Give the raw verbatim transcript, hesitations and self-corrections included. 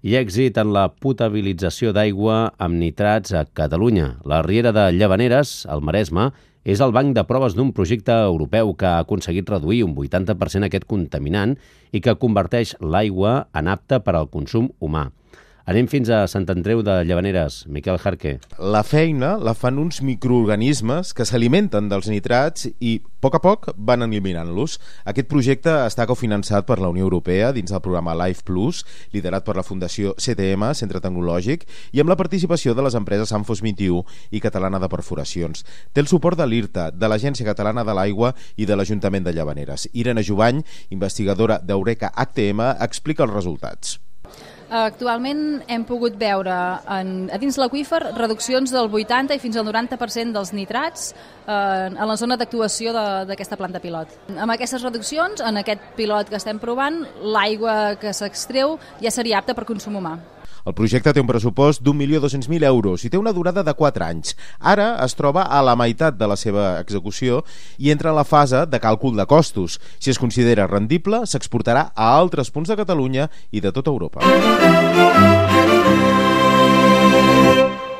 i èxit en la potabilització d'aigua amb nitrats a Catalunya. La Riera de Llavaneres, al Maresme, és el banc de proves d'un projecte europeu que ha aconseguit reduir un vuitanta per cent aquest contaminant i que converteix l'aigua en apta per al consum humà. Anem fins a Sant Andreu de Llavaneres. Miquel Jarque. La feina la fan uns microorganismes que s'alimenten dels nitrats i, a poc a poc, van eliminant-los. Aquest projecte està cofinançat per la Unió Europea dins del programa Life Plus, liderat per la Fundació C T M, Centre Tecnològic, i amb la participació de les empreses Sanfos vint i u i Catalana de Perforacions. Té el suport de l'I R T A, de l'Agència Catalana de l'Aigua i de l'Ajuntament de Llavaneres. Irene Jubany, investigadora d'Eureka H T M, explica els resultats. Actualment hem pogut veure en, a dins l'aqüífer reduccions del vuitanta i fins al noranta per cent dels nitrats eh, en la zona d'actuació d'aquesta planta pilot. Amb aquestes reduccions, en aquest pilot que estem provant, l'aigua que s'extreu ja seria apta per consum humà. El projecte té un pressupost d'un milió dos-cents mil euros i té una durada de quatre anys. Ara es troba a la meitat de la seva execució i entra en la fase de càlcul de costos. Si es considera rendible, s'exportarà a altres punts de Catalunya i de tota Europa.